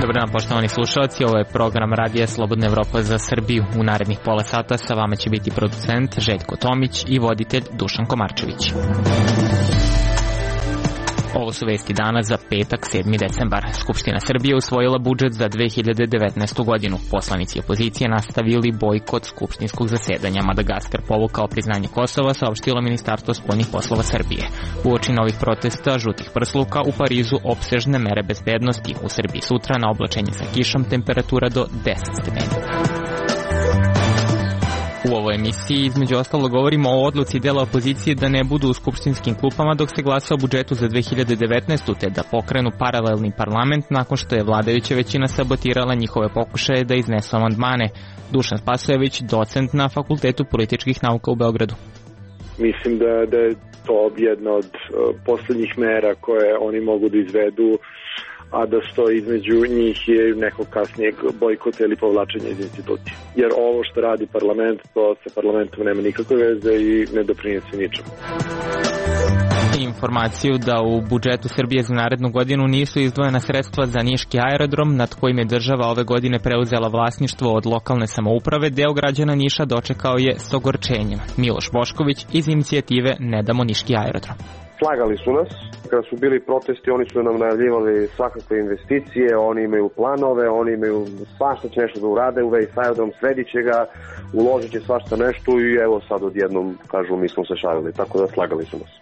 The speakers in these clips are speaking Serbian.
Dobar dan, poštovani slušalci, ovo je program Radija Slobodna Evropa za Srbiju. U narednih pola sata sa vama će biti producent Željko Tomić i voditelj Dušan Komarčević. Ovo su vesti dana za petak 7. decembar. Skupština Srbije usvojila budžet za 2019. godinu. Poslanici opozicije nastavili bojkot skupštinskog zasedanja. Madagaskar povukao priznanje Kosova, saopštilo Ministarstvo spoljnih poslova Srbije. Uoči novih protesta žutih prsluka u Parizu opsežne mere bezbednosti. U Srbiji sutra na oblačenje sa kišom temperatura do 10 stepeni. U ovoj emisiji između ostalo govorimo o odluci dela opozicije da ne budu u skupštinskim klupama dok se glasa o budžetu za 2019. te da pokrenu paralelni parlament nakon što je vladajuća većina sabotirala njihove pokušaje da iznesu amandmane. Dušan Spasojević, docent na Fakultetu političkih nauka u Beogradu. Mislim da je to jedna od poslednjih mera koje oni mogu da izvedu, a da stoji između njih je nekog kasnijeg bojkota ili povlačenja iz institucije. Jer ovo što radi parlament, to sa parlamentom nema nikakve veze i ne doprinese ničemu. Informaciju da u budžetu Srbije za narednu godinu nisu izdvojena sredstva za niški aerodrom, nad kojim je država ove godine preuzela vlasništvo od lokalne samouprave, deo građana Niša dočekao je s ogorčenjem. Miloš Bošković iz inicijative Ne damo niški aerodrom. Slagali su nas, kada su bili protesti oni su nam najavljivali svakakve investicije, oni imaju planove, oni imaju svašta će nešto da urade, u vezi s aerodrom sredit će ga, uložit će svašta nešto i evo sad odjednom kažu mi smo se šalili, tako da slagali su nas.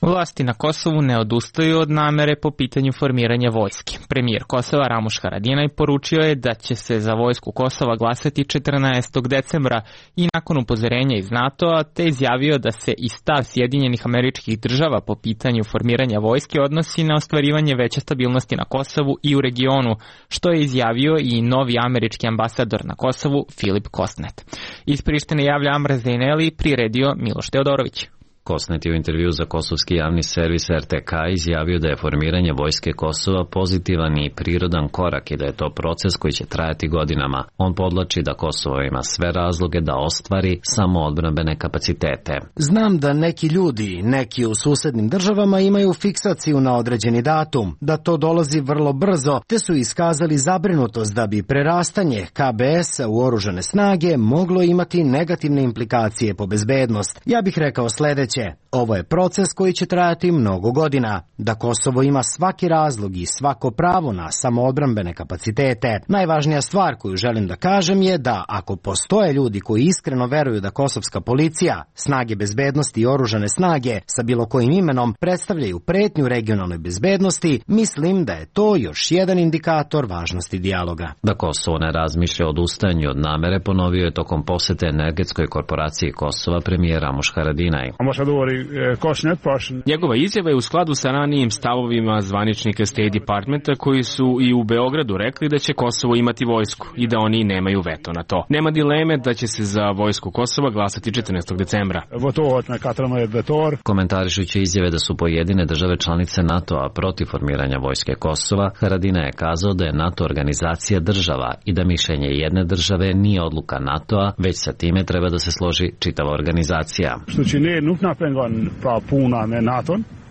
Vlasti na Kosovu ne odustaju od namere po pitanju formiranja vojske. Premijer Kosova Ramuš Haradinaj poručio je da će se za vojsku Kosova glasati 14. decembra i nakon upozorenja iz NATO-a, te izjavio da se i stav Sjedinjenih Američkih Država po pitanju formiranja vojske odnosi na ostvarivanje veće stabilnosti na Kosovu i u regionu, što je izjavio i novi američki ambasador na Kosovu Filip Kostnet. Iz Prištine javlja Amra Zejneli, priredio Miloš Teodorović. Kostnet je u intervju za kosovski javni servis RTK izjavio da je formiranje vojske Kosova pozitivan i prirodan korak i da je to proces koji će trajati godinama. On podlači da Kosovo ima sve razloge da ostvari samoodbrambene kapacitete. Znam da neki ljudi, neki u susednim državama imaju fiksaciju na određeni datum, da to dolazi vrlo brzo, te su iskazali zabrinutost da bi prerastanje KBS-a u oružane snage moglo imati negativne implikacije po bezbednost. Ja bih rekao sledeće. Ovo je proces koji će trajati mnogo godina. Da Kosovo ima svaki razlog i svako pravo na samoodbrambene kapacitete. Najvažnija stvar koju želim da kažem je da ako postoje ljudi koji iskreno veruju da kosovska policija, snage bezbednosti i oružane snage sa bilo kojim imenom predstavljaju pretnju regionalnoj bezbednosti, mislim da je to još jedan indikator važnosti dijaloga. Da Kosovo ne razmišlja o odustajanju od namere ponovio je tokom posete energetskoj korporaciji Kosova premijer Ramuš Haradinaj. Njegova izjava je u skladu sa ranijim stavovima zvaničnika State Departmenta koji su i u Beogradu rekli da će Kosovo imati vojsku i da oni nemaju veto na to. Nema dileme da će se za vojsku Kosova glasati 14. decembra. Komentarišući izjave da su pojedine države članice NATO-a protiv formiranja vojske Kosova, Haradinaj je kazao da je NATO organizacija država i da mišljenje jedne države nije odluka NATO-a, već sa time treba da se složi čitava organizacija.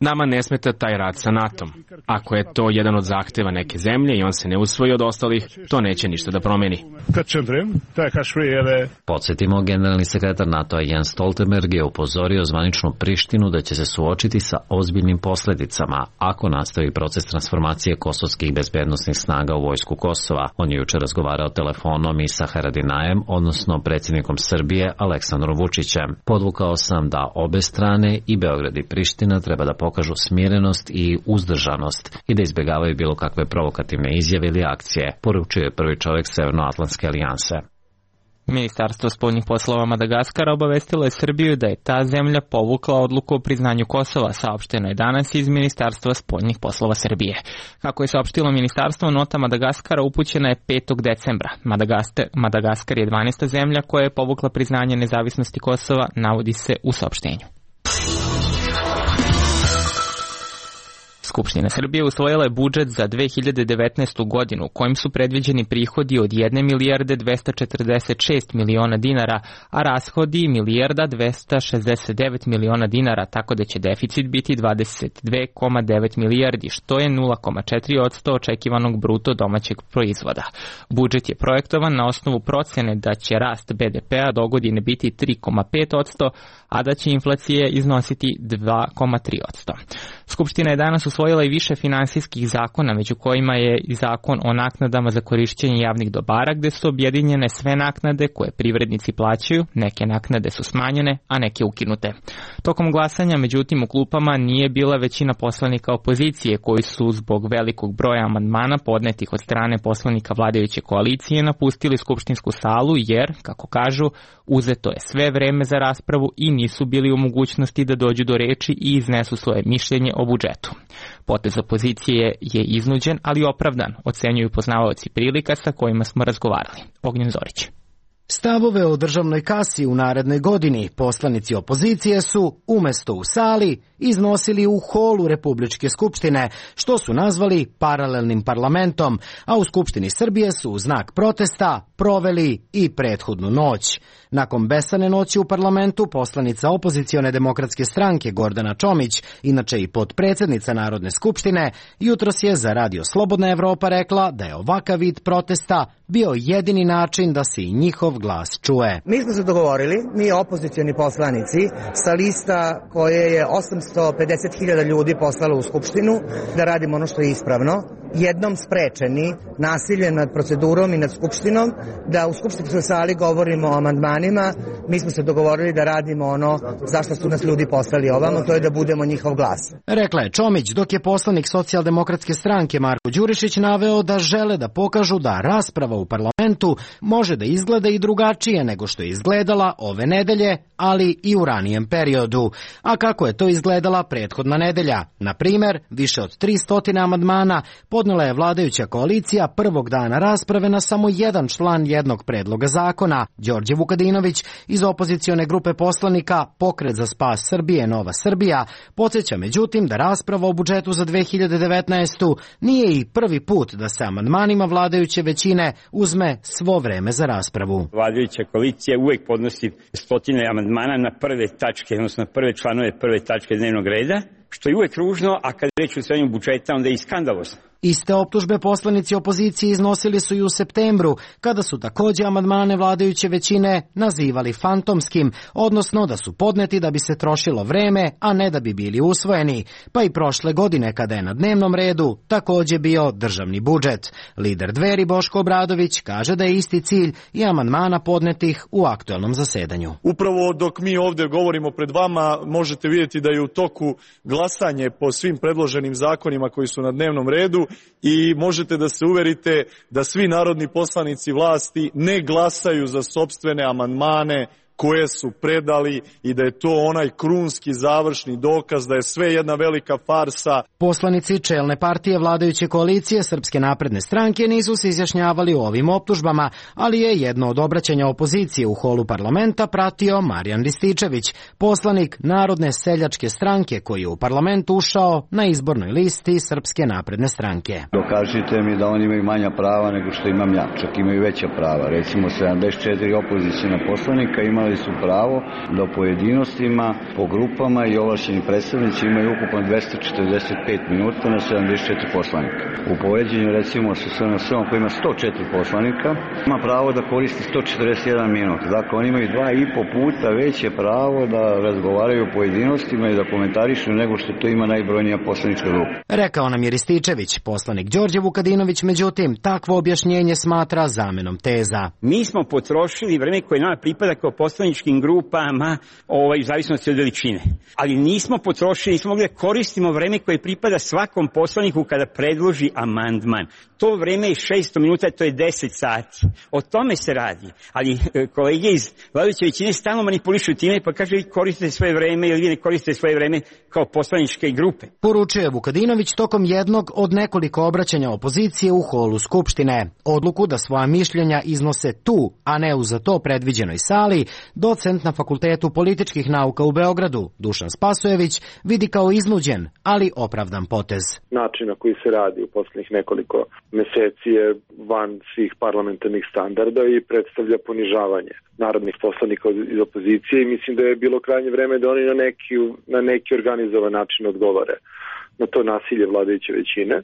Nama ne smeta taj rad sa NATO-om. Ako je to jedan od zahteva neke zemlje i on se ne usvoji od ostalih, to neće ništa da promeni. Podsjetimo, generalni sekretar NATO-a Jens Stoltenberg je upozorio zvaničnu Prištinu da će se suočiti sa ozbiljnim posledicama ako nastavi proces transformacije kosovskih bezbednosnih snaga u vojsku Kosova. On je juče razgovarao telefonom i sa Haradinajem, odnosno predsjednikom Srbije Aleksandrom Vučićem. Podvukao sam da obe strane, i Beograd i Priština, treba da pokažu smirenost i uzdržanost i da izbjegavaju bilo kakve provokativne izjave ili akcije, poručuje prvi čovjek Severnoatlantske alijanse. Ministarstvo spoljnih poslova Madagaskara obavestilo je Srbiju da je ta zemlja povukla odluku o priznanju Kosova, saopšteno je danas iz Ministarstva spoljnih poslova Srbije. Kako je saopštilo ministarstvo, nota Madagaskara upućena je 5. decembra. Madagaskar je 12. zemlja koja je povukla priznanje nezavisnosti Kosova, navodi se u saopštenju. Skupština Srbije usvojila je budžet za 2019. godinu, kojim su predviđeni prihodi od 1 milijarde 246 miliona dinara, a rashodi milijarda 269 miliona dinara, tako da će deficit biti 22,9 milijardi, što je 0,4% očekivanog bruto domaćeg proizvoda. Budžet je projektovan na osnovu procene da će rast BDP-a dogodine biti 3,5%, a da će inflacija iznositi 2,3%. Skupština je danas usvojila i više finansijskih zakona, među kojima je i zakon o naknadama za korišćenje javnih dobara, gde su objedinjene sve naknade koje privrednici plaćaju, neke naknade su smanjene, a neke ukinute. Tokom glasanja, međutim, u klupama nije bila većina poslanika opozicije, koji su zbog velikog broja amandmana podnetih od strane poslanika vladajuće koalicije napustili skupštinsku salu jer, kako kažu, uzeto je sve vreme za raspravu i nisu bili u mogućnosti da dođu do reči i iznesu svoje mišljenje o budžetu. Potez opozicije je iznuđen, ali opravdan, ocenjuju poznavaoci prilika sa kojima smo razgovarali. Ognjen Zorić. Stavove o državnoj kasi u narednoj godini poslanici opozicije su, umesto u sali, iznosili u holu Republičke skupštine, što su nazvali paralelnim parlamentom, a u Skupštini Srbije su u znak protesta proveli i prethodnu noć. Nakon besane noći u parlamentu, poslanica opozicione demokratske stranke Gordana Čomić, inače i potpredsednica Narodne skupštine, jutros je za Radio Slobodna Evropa rekla da je ovakav vid protesta bio jedini način da se i njihov glas čuje. Mi smo se dogovorili, mi opozicioni poslanici, sa lista koje je 850.000 ljudi poslalo u Skupštinu, da radimo ono što je ispravno, jednom sprečeni nasiljem nad procedurom i nad Skupštinom, da u skupštinskoj sali govorimo o amandmanima. Mi smo se dogovorili da radimo ono zašto su nas ljudi poslali ovamo, to je da budemo njihov glas. Rekla je Čomić, dok je poslanik Socijaldemokratske stranke Marko Đurišić naveo da žele da pokažu da rasprava u parlamentu može da izgleda i drugačije nego što je izgledala ove nedelje, ali i u ranijem periodu. A kako je to izgledala prethodna nedelja? Na primer, više od 300 amandmana podnela je vladajuća koalicija prvog dana rasprave na samo jedan član jednog predloga zakona. Đorđe Vukadinović iz opozicione grupe poslanika Pokret za spas Srbije Nova Srbija podsjeća međutim da rasprava o budžetu za 2019. nije i prvi put da se amandmanima vladajuće većine uzme svo vreme za raspravu. Vladajuća koalicija uvek podnosi stotine amandmana na prve tačke, odnosno prve članove prve tačke dnevnog reda, što je uvek ružno, a kad reč o usvajanju budžeta, onda je i skandalozno. Iste optužbe poslanici opozicije iznosili su i u septembru, kada su takođe amandmane vladajuće većine nazivali fantomskim, odnosno da su podneti da bi se trošilo vreme, a ne da bi bili usvojeni. Pa i prošle godine, kada je na dnevnom redu takođe bio državni budžet. Lider Dveri Boško Obradović kaže da je isti cilj i amandmana podnetih u aktuelnom zasedanju. Upravo dok mi ovde govorimo pred vama, možete vidjeti da je u toku glasanje po svim predloženim zakonima koji su na dnevnom redu i možete da se uverite da svi narodni poslanici vlasti ne glasaju za sopstvene amandmane koje su predali i da je to onaj krunski završni dokaz da je sve jedna velika farsa. Poslanici čelne partije vladajuće koalicije Srpske napredne stranke nisu se izjašnjavali o ovim optužbama, ali je jedno od obraćanja opozicije u holu parlamenta pratio Marijan Rističević, poslanik Narodne seljačke stranke koji je u parlament ušao na izbornoj listi Srpske napredne stranke. Dokažite mi da oni imaju manja prava nego što imam ja, čak imaju veća prava. Recimo 74 opozicijna poslanika imali su pravo da u pojedinostima, po grupama i ovlašćeni predstavnici imaju ukupno 245 minuta na 74 poslanika. U poređenju recimo sa SNS-om koji ima 104 poslanika, ima pravo da koristi 141 minut. Dakle, oni imaju 2,5 puta veće pravo da razgovaraju o pojedinostima i da komentarišu nego što to ima najbrojnija poslanička grupa. Rekao nam je Rističević. Poslanik Đorđe Vukadinović, međutim, takvo objašnjenje smatra zamenom teza. Mi smo potrošili vreme koje nama pripada kao poslaničkim grupama u zavisnosti od veličine. Ali nismo potrošili, nismo mogli da koristimo vreme koje pripada svakom poslaniku kada predloži amandman. To vreme je 600 minuta, to je 10 sati. O tome se radi. Ali kolege iz vladajuće većine stalno manipulišu time pa kaže vi koristite svoje vreme ili vi ne koristite svoje vreme kao poslaničke grupe. Poručuje Vukadinović tokom jednog od nekoliko obraćanja opozicije u holu Skupštine. Odluku da svoja mišljenja iznose tu, a ne u za to predviđenoj sali, docent na Fakultetu političkih nauka u Beogradu, Dušan Spasojević, vidi kao iznuđen, ali opravdan potez. Način na koji se radi u poslednjih nekoliko meseci je van svih parlamentarnih standarda i predstavlja ponižavanje narodnih poslanika iz opozicije i mislim da je bilo krajnje vreme da oni na neki organizovan način odgovore na to nasilje vladajuće većine.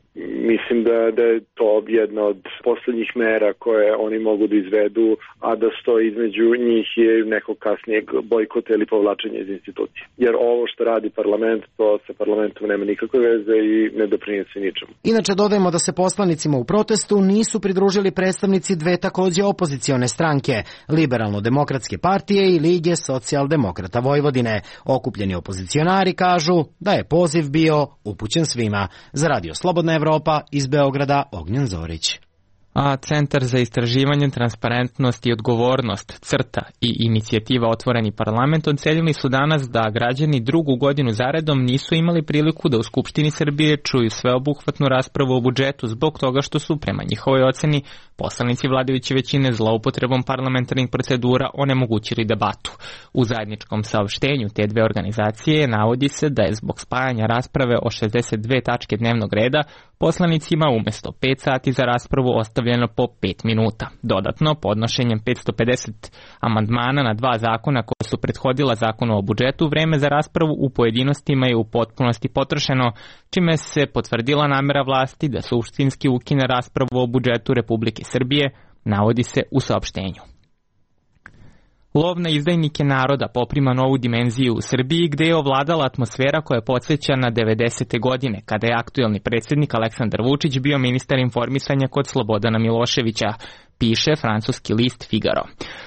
Mislim da je to jedna od poslednjih mera koje oni mogu da izvedu, a da stoji između njih je nekog kasnijeg bojkota ili povlačenja iz institucije. Jer ovo što radi parlament, to sa parlamentom nema nikakve veze i ne doprinese ničemu. Inače dodajemo da se poslanicima u protestu nisu pridružili predstavnici dve takođe opozicione stranke, Liberalno-demokratske partije i Lige socijaldemokrata Vojvodine. Okupljeni opozicionari kažu da je poziv bio upućen svima. Za Radio Slobodna Evropa iz Beograda, Ognjen Zorić. A Centar za istraživanje, transparentnost i odgovornost, CRTA i inicijativa Otvoreni parlament ocenili su danas da građani drugu godinu zaredom nisu imali priliku da u Skupštini Srbije čuju sveobuhvatnu raspravu o budžetu zbog toga što su, prema njihovoj oceni, poslanici vladajuće većine zloupotrebom parlamentarnih procedura onemogućili debatu. U zajedničkom saopštenju te dve organizacije navodi se da je zbog spajanja rasprave o 62 tačke dnevnog reda poslanicima umesto 5 sati za raspravu ostavljeno po 5 minuta. Dodatno, podnošenjem 550 amandmana na dva zakona koje su prethodila zakonu o budžetu, vreme za raspravu u pojedinostima je u potpunosti potrošeno, čime se potvrdila namera vlasti da suštinski ukine raspravu o budžetu Republike Srbije, navodi se u saopštenju. Lov na izdajnike naroda poprima novu dimenziju u Srbiji, gde je ovladala atmosfera koja podsjeća na 90. godine, kada je aktuelni predsjednik Aleksandar Vučić bio ministar informisanja kod Slobodana Miloševića, piše francuski list Figaro.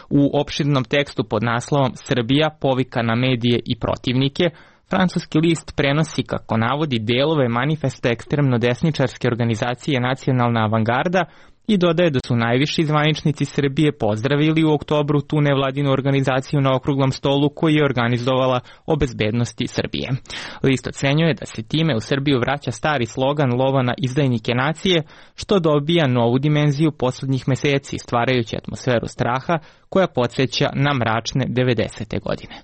U opširnom tekstu pod naslovom Srbija povika na medije i protivnike, francuski list prenosi, kako navodi, delove manifesta ekstremno desničarske organizacije Nacionalna avangarda i dodaje da su najviši zvaničnici Srbije pozdravili u oktobru tu nevladinu organizaciju na okruglom stolu koji je organizovala o bezbednosti Srbije. List ocenjuje da se time u Srbiju vraća stari slogan lova na izdajnike nacije, što dobija novu dimenziju poslednjih meseci, stvarajući atmosferu straha koja podsjeća na mračne 90. godine.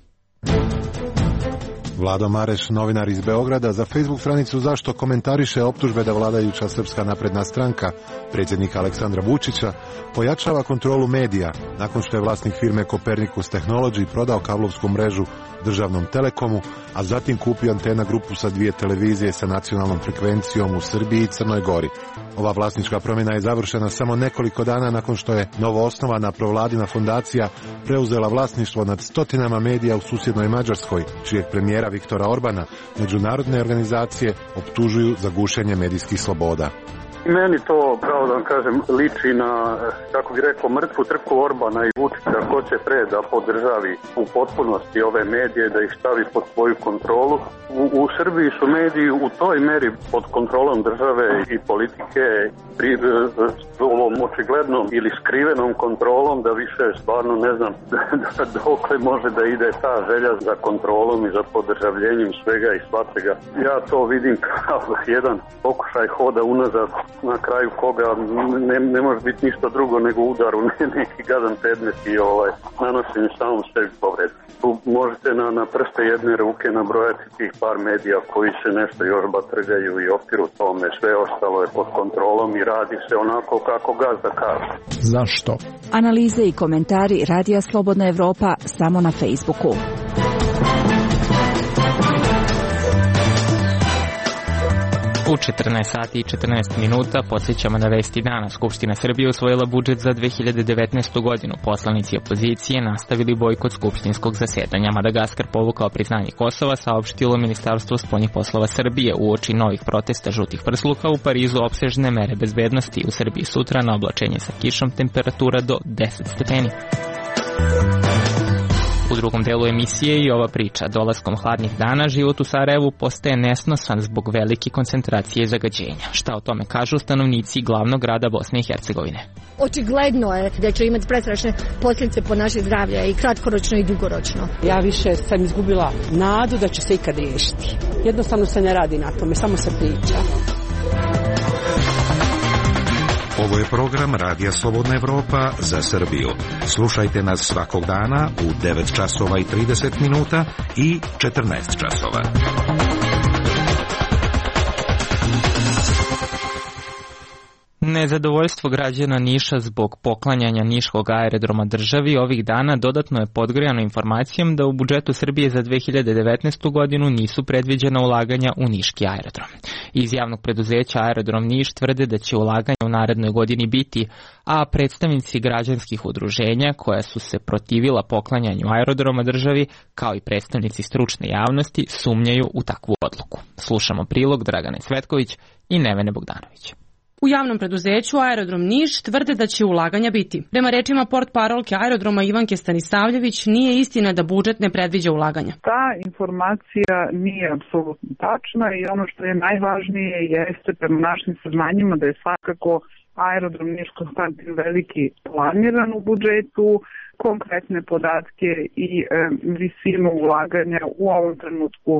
Vlado Mareš, novinar iz Beograda, za Facebook stranicu Zašto komentariše optužbe da vladajuća Srpska napredna stranka predsjednika Aleksandra Vučića pojačava kontrolu medija nakon što je vlasnik firme Copernicus Technology prodao kablovsku mrežu državnom Telekomu, a zatim kupio Antena grupu sa 2 televizije sa nacionalnom frekvencijom u Srbiji i Crnoj Gori. Ova vlasnička promjena je završena samo nekoliko dana nakon što je novoosnovana provladina fondacija preuzela vlasništvo nad stotinama medija u susjednoj Mađarskoj, čijeg premijera Viktora Orbana međunarodne organizacije optužuju za gušenje medijskih sloboda. Meni to, pravo da vam kažem, liči na, kako bih rekao, mrtvu trku Orbana i Vučića, ko će pre da podržavi u potpunosti ove medije, da ih stavi pod svoju kontrolu. U Srbiji su mediji u toj meri pod kontrolom države i politike, ovom očiglednom ili skrivenom kontrolom, da više stvarno ne znam dokle može da ide ta želja za kontrolom i za podržavljenjem svega i svačega. Ja to vidim kao jedan pokušaj hoda unazad, na kraju koga ne može biti ništa drugo nego udar u neki gadan predmet i nanošenje samom sebi povred. Tu možete na prste jedne ruke nabrojati tih par medija koji se nešto još batrgaju i opiru tome. Sve ostalo je pod kontrolom i radi se onako kako gazda kaže. Zašto? Analize i komentari Radija Slobodna Evropa samo na Facebooku. U 14 sati i 14 minuta podsjećamo na vesti dana. Skupština Srbije usvojila budžet za 2019. godinu. Poslanici opozicije nastavili bojkot skupštinskog zasedanja. Madagaskar povukao priznanje Kosova, saopštilo Ministarstvo spoljnih poslova Srbije. Uoči novih protesta žutih prsluka u Parizu opsežne mere bezbednosti. U Srbiji sutra na oblačenje sa kišom, temperatura do 10 stepeni. U drugom delu emisije i ova priča. Dolaskom hladnih dana život u Sarajevu postaje nesnosan zbog velike koncentracije zagađenja. Šta o tome kažu stanovnici glavnog grada Bosne i Hercegovine? Očigledno je da će imati prestrašne posljedice po naše zdravlje i kratkoročno i dugoročno. Ja više sam izgubila nadu da će se ikad riješiti. Jednostavno se ne radi na tome, samo se priča. Ovo je program Radija Slobodna Evropa za Srbiju. Slušajte nas svakog dana u 9 časova i 30 minuta i 14 časova. Nezadovoljstvo građana Niša zbog poklanjanja niškog aerodroma državi ovih dana dodatno je podgrejano informacijom da u budžetu Srbije za 2019. godinu nisu predviđena ulaganja u niški aerodrom. Iz javnog preduzeća Aerodrom Niš tvrde da će ulaganja u narednoj godini biti, a predstavnici građanskih udruženja koja su se protivila poklanjanju aerodroma državi, kao i predstavnici stručne javnosti, sumnjaju u takvu odluku. Slušamo prilog Dragane Cvetković i Nevene Bogdanović. U javnom preduzeću Aerodrom Niš tvrde da će ulaganja biti. Prema rečima portparolke aerodroma Ivanke Stanisavljević, nije istina da budžet ne predviđa ulaganja. Ta informacija nije apsolutno tačna i ono što je najvažnije jeste prema našim saznanjima da je svakako Aerodrom Niš Konstantin Veliki planiran u budžetu, konkretne podatke i visinu ulaganja u ovom trenutku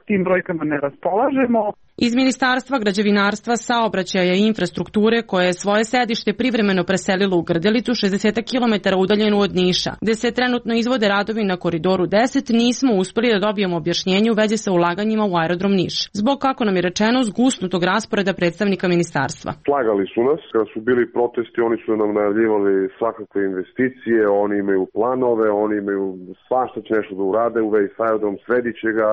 tim brojkama ne raspolažemo. Iz Ministarstva građevinarstva, saobraćaja i infrastrukture, koje je svoje sedište privremeno preselilo u Grdelicu, 60 km udaljenu od Niša, gde se trenutno izvode radovi na Koridoru 10, nismo uspeli da dobijemo objašnjenje u vezi sa ulaganjima u Aerodrom Niš. Zbog, kako nam je rečeno, zgusnutog rasporeda predstavnika ministarstva. Slagali su nas, kada su bili protesti, oni su nam najavljivali svakakve investicije, oni imaju planove, oni imaju svašta će nešto da urade u vezi sa aerodrom, srediće ga,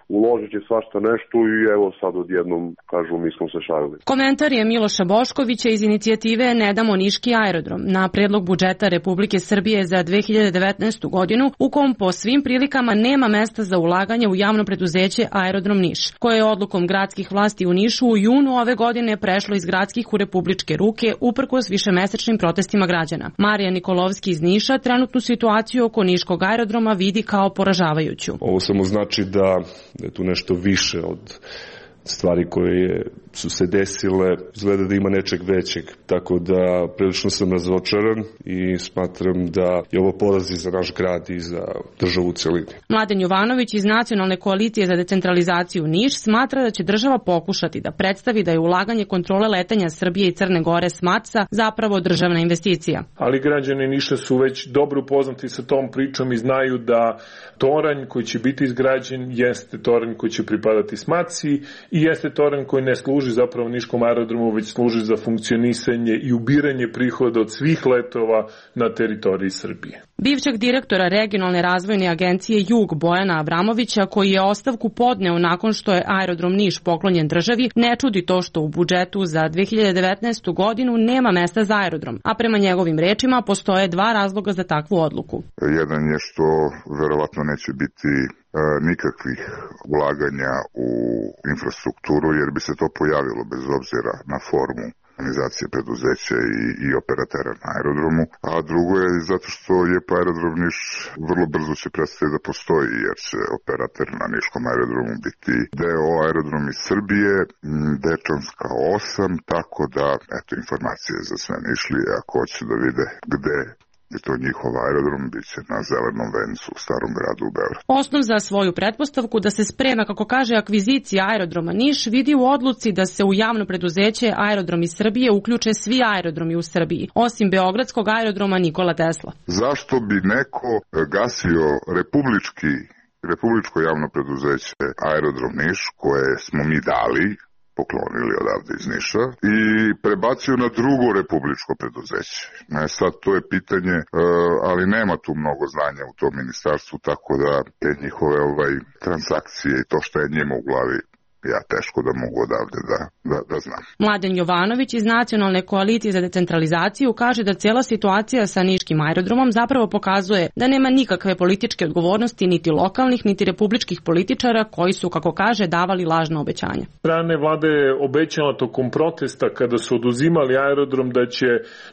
uložit će svašta nešto i evo sad odjednom kažu mi smo se šalili. Komentar je Miloša Boškovića iz inicijative Ne damo niški aerodrom na predlog budžeta Republike Srbije za 2019. godinu, u kom po svim prilikama nema mesta za ulaganje u javno preduzeće Aerodrom Niš, koje je odlukom gradskih vlasti u Nišu u junu ove godine prešlo iz gradskih u republičke ruke uprkos višemesečnim protestima građana. Marija Nikolovski iz Niša trenutnu situaciju oko niškog aerodroma vidi kao poražavajuću. Ovo samo znači da je tu nešto više od stvari koje su se desile, izgleda da ima nečeg većeg, tako da prilično sam razočaran i smatram da je ovo poraz i za naš grad i za državu u celini. Mladen Jovanović iz Nacionalne koalicije za decentralizaciju Niš smatra da će država pokušati da predstavi da je ulaganje kontrole letenja Srbije i Crne Gore s Matsa zapravo državna investicija. Ali građani Niša su već dobro upoznati sa tom pričom i znaju da toranj koji će biti izgrađen jeste toranj koji će pripadati Smatsi i jeste toranj koji ne služi zapravo niškom aerodromu, već služi za funkcionisanje i ubiranje prihoda od svih letova na teritoriji Srbije. Bivšeg direktora regionalne razvojne agencije Jug Bojana Abramovića, koji je ostavku podneo nakon što je Aerodrom Niš poklonjen državi, ne čudi to što u budžetu za 2019. godinu nema mesta za aerodrom, a prema njegovim rečima postoje dva razloga za takvu odluku. Jedan je što verovatno neće biti nikakvih ulaganja u infrastrukturu, jer bi se to pojavilo bez obzira na formu organizacije preduzeća i operatera na aerodromu, a drugo je zato što je Aerodrom Niš vrlo brzo će prestati da postoji, jer će operator na niškom aerodromu biti deo aerodrom iz Srbije, Dečanska 8, tako da, eto, informacije za sve Nišlije, ako hoće da vide gde je to njihov aerodrom, bit će na Zelenom vencu u Starom gradu u Beogradu. Osnov za svoju pretpostavku da se sprema, kako kaže, akvizicija aerodroma Niš vidi u odluci da se u javno preduzeće Aerodrom iz Srbije uključe svi aerodromi u Srbiji, osim beogradskog aerodroma Nikola Tesla. Zašto bi neko gasio republičko javno preduzeće Aerodrom Niš, koje smo mi dali, poklonili odavde iz Niša, i prebacio na drugo republičko preduzeće. Sad to je pitanje, ali nema tu mnogo znanja u tom ministarstvu, tako da te njihove transakcije i to što je njima u glavi, ja teško da mogu odavde da znam. Mladen Jovanović iz Nacionalne koalicije za decentralizaciju kaže da cijela situacija sa niškim aerodromom zapravo pokazuje da nema nikakve političke odgovornosti niti lokalnih niti republičkih političara koji su, kako kaže, davali lažna obećanja. Strane vlade je obećala tokom protesta kada su oduzimali aerodrom da će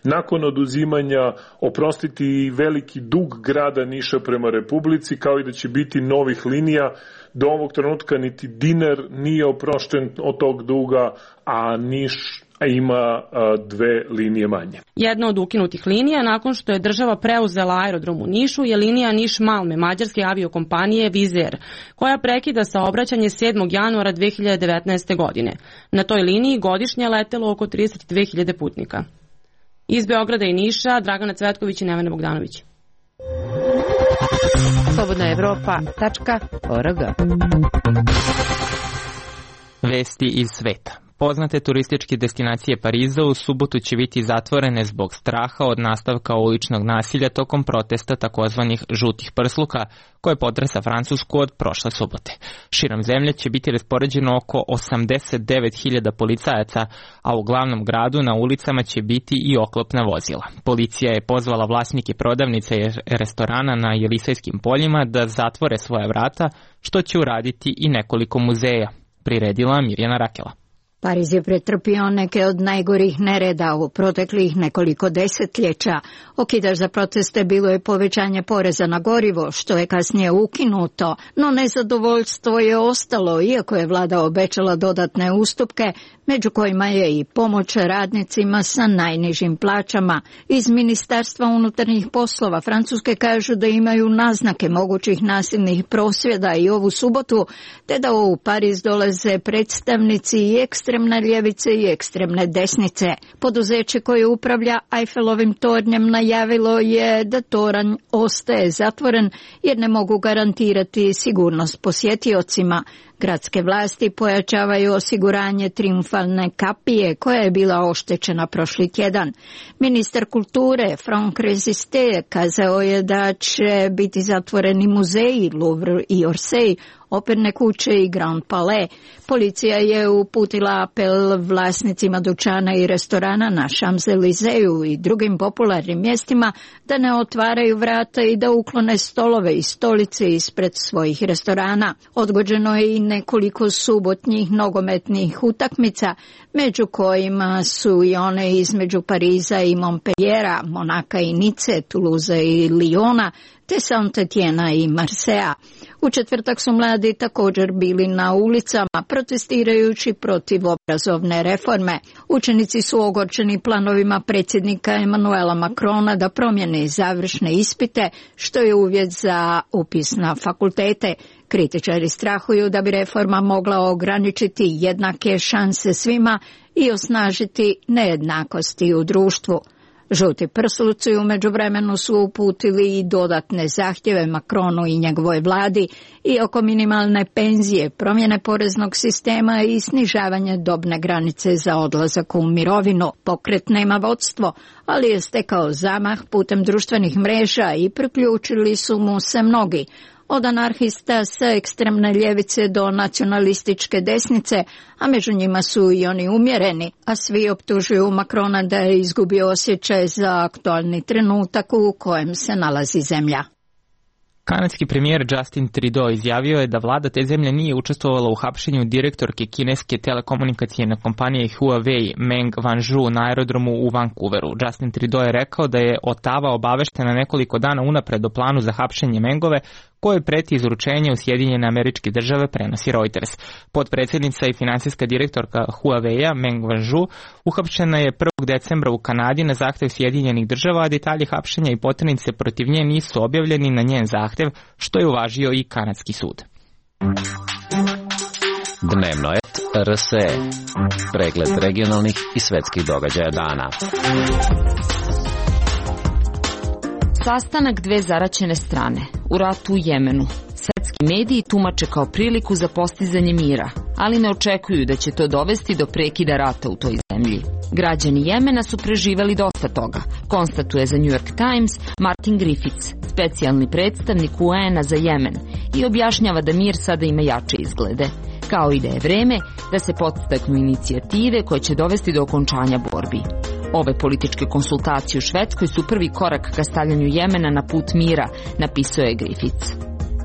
nakon oduzimanja oprostiti veliki dug grada Niša prema Republici, kao i da će biti novih linija. Do ovog trenutka niti dinar nije oprošten od tog duga, a Niš a ima 2 linije manje. Jedna od ukinutih linija nakon što je država preuzela aerodrom u Nišu je linija Niš-Malme mađarske aviokompanije Wizz Air, koja prekida saobraćanje 7. januara 2019. godine. Na toj liniji godišnje je letelo oko 32.000 putnika. Iz Beograda i Niša, Dragana Cvetković i Nevena Bogdanović. slobodnaevropa.org. Vesti iz sveta. Poznate turističke destinacije Pariza u subotu će biti zatvorene zbog straha od nastavka uličnog nasilja tokom protesta takozvanih žutih prsluka koje potresa Francusku od prošle subote. Širom zemlje će biti raspoređeno oko 89.000 policajaca, a u glavnom gradu na ulicama će biti i oklopna vozila. Policija je pozvala vlasnike prodavnice i restorana na Jelisejskim poljima da zatvore svoja vrata, što će uraditi i nekoliko muzeja, priredila Mirjana Rakela. Pariz je pretrpio neke od najgorih nereda u proteklih nekoliko desetljeća. Okidač za proteste bilo je povećanje poreza na gorivo, što je kasnije ukinuto, no nezadovoljstvo je ostalo, iako je vlada obećala dodatne ustupke, među kojima je i pomoć radnicima sa najnižim plaćama. Iz Ministarstva unutarnjih poslova Francuske kažu da imaju naznake mogućih nasilnih prosvjeda i ovu subotu, te da u Pariz dolaze predstavnici i ekstremne ljevice i ekstremne desnice. Poduzeće koje upravlja Eiffelovim tornjem najavilo je da toranj ostaje zatvoren jer ne mogu garantirati sigurnost posjetiocima. Gradske vlasti pojačavaju osiguranje trijumfalne kapije koja je bila oštećena prošli tjedan. Ministar kulture Franck Resisté kazao je da će biti zatvoreni muzeji Louvre i Orsay, operne kuće i Grand Palais. Policija je uputila apel vlasnicima dućana i restorana na Champs-Élysées i drugim popularnim mjestima da ne otvaraju vrata i da uklone stolove i stolice ispred svojih restorana. Odgođeno je i nekoliko subotnjih nogometnih utakmica, među kojima su i one između Pariza i Montpelliera, Monaka i Nice, Toulouse i Lyona, te Saint-Étienne i Marseillea. U četvrtak su mladi također bili na ulicama protestirajući protiv obrazovne reforme. Učenici su ogorčeni planovima predsjednika Emmanuela Macrona da promijene završne ispite, što je uvjet za upis na fakultete. Kritičari strahuju da bi reforma mogla ograničiti jednake šanse svima i osnažiti nejednakosti u društvu. Žuti prsluci u međuvremenu su uputili i dodatne zahtjeve Macronu i njegovoj vladi i oko minimalne penzije, promjene poreznog sistema i snižavanje dobne granice za odlazak u mirovinu. Pokret nema vodstvo, ali je stekao zamah putem društvenih mreža i priključili su mu se mnogi. Od anarhista sa ekstremne ljevice do nacionalističke desnice, a među njima su i oni umjereni, a svi optužuju Macrona da je izgubio osjećaj za aktualni trenutak u kojem se nalazi zemlja. Kanadski premijer Justin Trudeau izjavio je da vlada te zemlje nije učestvovala u hapšenju direktorke kineske telekomunikacijne kompanije Huawei Meng Wanzhou na aerodromu u Vancouveru. Justin Trudeau je rekao da je Ottawa obaveštena nekoliko dana unapred o planu za hapšenje Mengove, koje preti izručenje u Sjedinjene Američke Države, prenosi Reuters. Potpredsjednica i finansijska direktorka Huawei-a Meng Wanzhou uhapšena je 1. decembra u Kanadi na zahtjev Sjedinjenih Država, a detalji hapšenja i poternice protiv nje nisu objavljeni na njen zahtjev, što je uvažio i kanadski sud. Dnevno et RSE. Pregled regionalnih i svetskih događaja dana. Sastanak dve zaraćene strane u ratu u Jemenu. Svetski mediji tumače kao priliku za postizanje mira, ali ne očekuju da će to dovesti do prekida rata u toj zemlji. Građani Jemena su preživeli dosta toga, konstatuje za New York Times Martin Griffiths, specijalni predstavnik UN-a za Jemen, i objašnjava da mir sada ima jače izglede, kao i da je vreme da se podstaknu inicijative koje će dovesti do okončanja borbi. Ove političke konsultacije u Švedskoj su prvi korak ka stavljanju Jemena na put mira, napisao je Griffiths.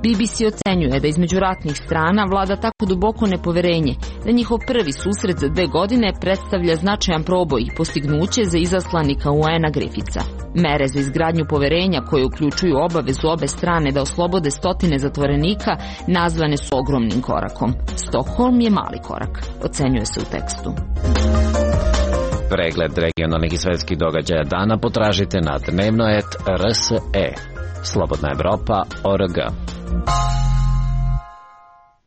BBC ocenjuje da između ratnih strana vlada tako duboko nepoverenje da njihov prvi susret za 2 godine predstavlja značajan proboj i postignuće za izaslanika UN-a Griffitha. Mere za izgradnju poverenja koje uključuju obavezu obe strane da oslobode stotine zatvorenika nazvane su ogromnim korakom. Stockholm je mali korak, ocenjuje se u tekstu. Pregled regionalnih i svetskih događaja dana potražite na dnevno.rse. Slobodna Evropa.org.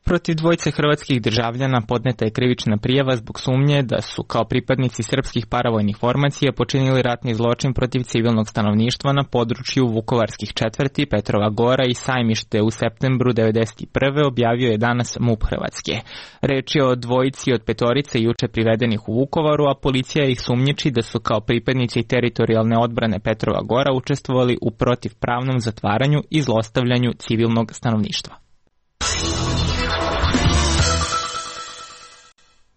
Protiv dvojice hrvatskih državljana podneta je krivična prijava zbog sumnje da su kao pripadnici srpskih paravojnih formacija počinili ratni zločin protiv civilnog stanovništva na području vukovarskih četvrti, Petrova Gora i Sajmište u septembru 1991. objavio je danas MUP Hrvatske. Reč je o dvojici od petorice juče privedenih u Vukovaru, a policija ih sumnjiči da su kao pripadnici teritorijalne odbrane Petrova Gora učestvovali u protivpravnom zatvaranju i zlostavljanju civilnog stanovništva.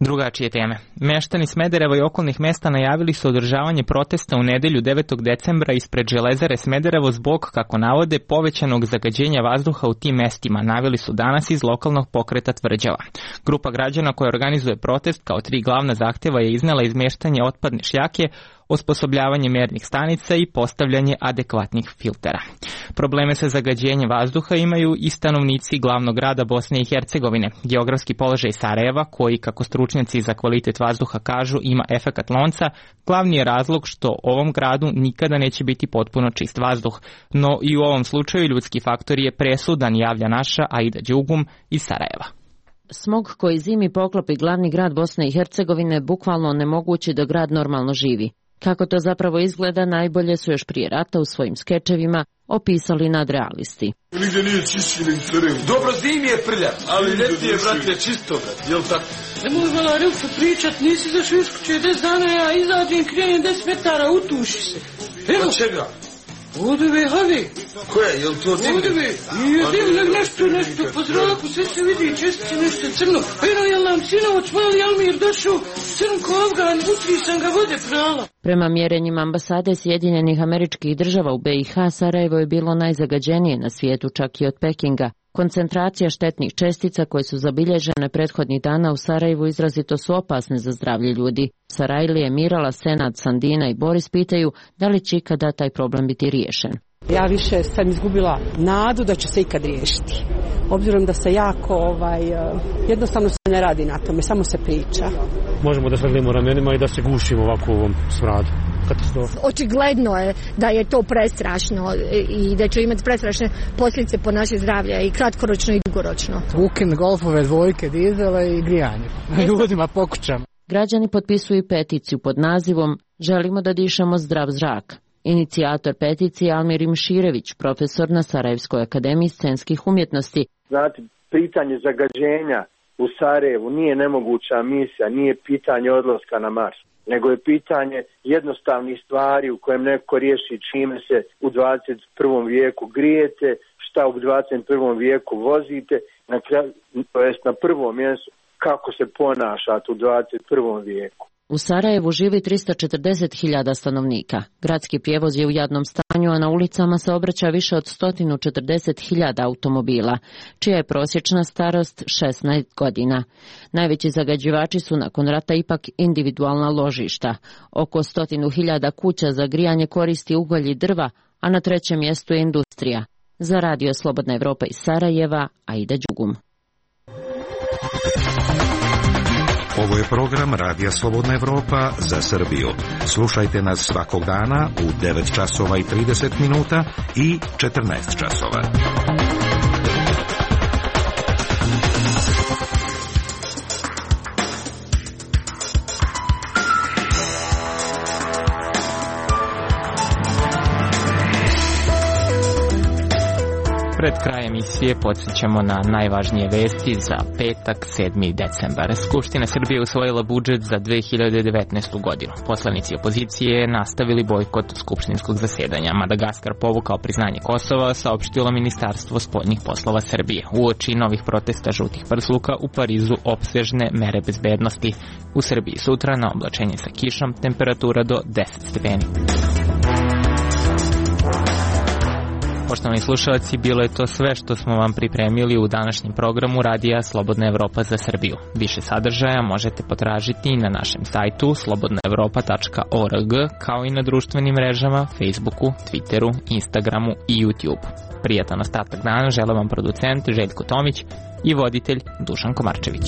Drugačije teme. Meštani Smedereva i okolnih mesta najavili su održavanje protesta u nedelju 9. decembra ispred Železare Smederevo zbog, kako navode, povećanog zagađenja vazduha u tim mestima, naveli su danas iz lokalnog pokreta Tvrđava. Grupa građana koja organizuje protest kao 3 glavna zahteva je iznela izmeštanje otpadne šljake, osposobljavanje mernih stanica i postavljanje adekvatnih filtera. Probleme sa zagađenjem vazduha imaju i stanovnici glavnog grada Bosne i Hercegovine. Geografski položaj Sarajeva, koji, kako stručnjaci za kvalitet vazduha kažu, ima efekat lonca, glavni je razlog što ovom gradu nikada neće biti potpuno čist vazduh. No i u ovom slučaju ljudski faktor je presudan, javlja naša Aida Đugum iz Sarajeva. Smog koji zimi poklopi glavni grad Bosne i Hercegovine bukvalno onemogući da grad normalno živi. Kako to zapravo izgleda, najbolje su još prije rata u svojim skečevima opisali nadrealisti. Nigdje nije čišći nego Sarajevo. Dobro, zimi je prljav, ali ljeti je, brate, čisto, brate, jel tako? Nemoj vala Rilko pričat, nisi zašao iz kuće 10 dana, ja izađem, krenem 10 metara, utuši se. Evo čega? Vodove, havi. Koje, jel to dimne? Vodove, nije dimne, nešto, po zraku, sve se vidi, čestice, nešto crno. Eno, jel nam sinovac, mali Almir došao, crn ko Afgan, utri sam ga vode prala. Prema mjerenjima ambasade Sjedinjenih Američkih Država u BiH, Sarajevo je bilo najzagađenije na svijetu, čak i od Pekinga. Koncentracija štetnih čestica koje su zabilježene prethodnih dana u Sarajevu izrazito su opasne za zdravlje ljudi. Sarajlije, Mirala, Senad, Sandina i Boris pitaju da li će ikada taj problem biti riješen. Ja više sam izgubila nadu da će se ikad riješiti. Obzirom da se jako, jednostavno se ne radi na tome, samo se priča. Možemo da svedlimo ramenima i da se gušimo ovako u ovom smradu. Očigledno je da je to prestrašno i da će imati prestrašne posljedice po naše zdravlje i kratkoročno i dugoročno. Ukin golfove, dvojke, dizele i grijanje. Ljudima po kućama. Građani potpisuju peticiju pod nazivom Želimo da dišemo zdrav zrak. Inicijator peticije Almir Imširević, profesor na Sarajevskoj akademiji scenskih umjetnosti. Znate, pitanje zagađenja u Sarajevu nije nemoguća misija, nije pitanje odlaska na Mars, nego je pitanje jednostavnih stvari u kojem neko riješi čime se u 21. vijeku grijete, šta u 21. vijeku vozite, na prvom mjestu kako se ponašate u 21. vijeku. U Sarajevu živi 340.000 stanovnika. Gradski prijevoz je u jadnom stanju, a na ulicama se obraća više od 140.000 automobila, čija je prosječna starost 16 godina. Najveći zagađivači su nakon rata ipak individualna ložišta. Oko 100.000 kuća za grijanje koristi ugalj i drva, a na trećem mjestu je industrija. Za Radio Slobodna Evropa iz Sarajeva, Aida Đugum. Ovo je program Radija Slobodna Evropa za Srbiju. Slušajte nas svakog dana u 9 časova i 30 minuta i 14 časova. Pred kraj emisije podsjećamo na najvažnije vesti za petak 7. decembar. Skupština Srbije usvojila budžet za 2019. godinu. Poslanici opozicije nastavili bojkot skupštinskog zasedanja. Madagaskar povukao priznanje Kosova, saopštilo Ministarstvo spoljnih poslova Srbije. Uoči novih protesta žutih prsluka u Parizu opsežne mere bezbednosti. U Srbiji sutra na oblačenje sa kišom, temperatura do 10 stepeni. Poštovani slušalci, bilo je to sve što smo vam pripremili u današnjem programu Radija Slobodna Evropa za Srbiju. Više sadržaja možete potražiti na našem sajtu slobodnaevropa.org, kao i na društvenim mrežama, Facebooku, Twitteru, Instagramu i YouTube. Prijatan ostatak dana žele vam producent Željko Tomić i voditelj Dušan Komarčević.